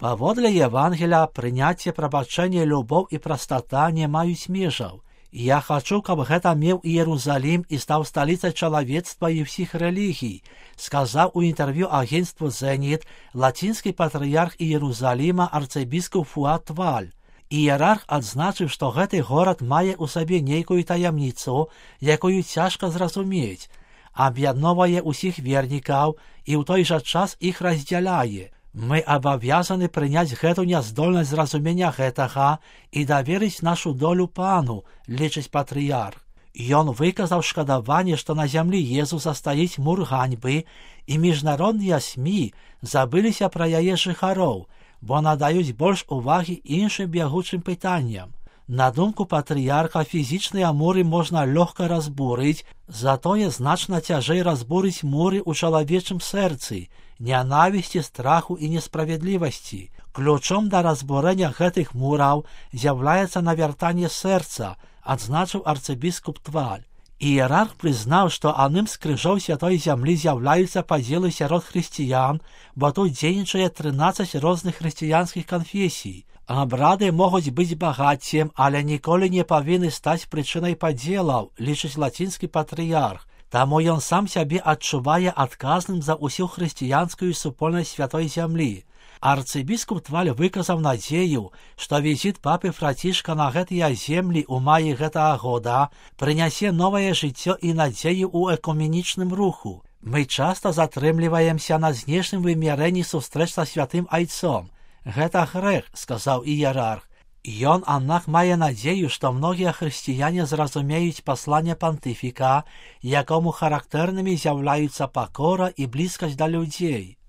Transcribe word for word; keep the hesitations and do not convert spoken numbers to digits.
Паводле Євангелія, прыняцце, прабачэнне, любоў і прастата не маюць межаў. Я хачу, каб гэта меў Іерусалім і стаў сталіцай чалавецтва і ўсіх рэлігій, сказаў у інтэрв'ю агенцтву «Зеніт» лацінскі патрыярх Іерусаліма арцыбіскуп Фуад Тваль. Іерарх адзначыў, што гэты горад мае ў сабе нейкую таямніцу, якую цяжка зразумець, аб'ядноўвае ўсіх вернікаў і ў той жа час іх раздзяляе. Мы абавязаны прыняць гэту няздольнасць зразумення гэтага і даверыць нашу долю пану, лічыць патрыярх. Ён выказаў шкадаванне, што на зямлі Езуса стаіць мур ганьбы, і міжнародныя СМІ забыліся пра яе жыхароў, бо надаюць больш увагі іншым бягучым пытанням. На думку патрыярха, фізічныя муры можна лёгка разбурыць, затое значна цяжэй разбурыць муры ў чалавечым сэрцы, нянавісці, страху і несправядлівасці. Ключом да разбурэння гэтых мураў з'яўляецца навяртанне сэрца, адзначыў арцыбіскуп Тваль. Іерарх прызнаў, што адным з крыжоў святой зямлі з'яўляюцца падзелы сярод хрысціян, бо тут дзейнічае трынаццаць розных хрысціянскіх канфесій. Абрады могуць быць багаццем, але ніколі не павінны стаць прычынай падзелаў, лічыць лацінскі патрыярх. Таму ён сам сябе адчувае адказным за ўсю хрысціянскую супольнасць святой зямлі. Арцыбіскуп Тваль выказаў надзею, што візіт папы Францішка на гэтыя землі ў маі гэтага года прынясе новае жыццё і надзею ў экуменічным руху. Мы часта затрымліваемся на знешнім вымярэнні сустрэч са святым айцом. Гэта грэх, сказаў іерарх. Ён, аднак, мае надзею, што многія хрысціяне зразумеюць пасланне пантыфіка, якому характэрнымі з'яўляюцца пакора і блізкасць да людзей.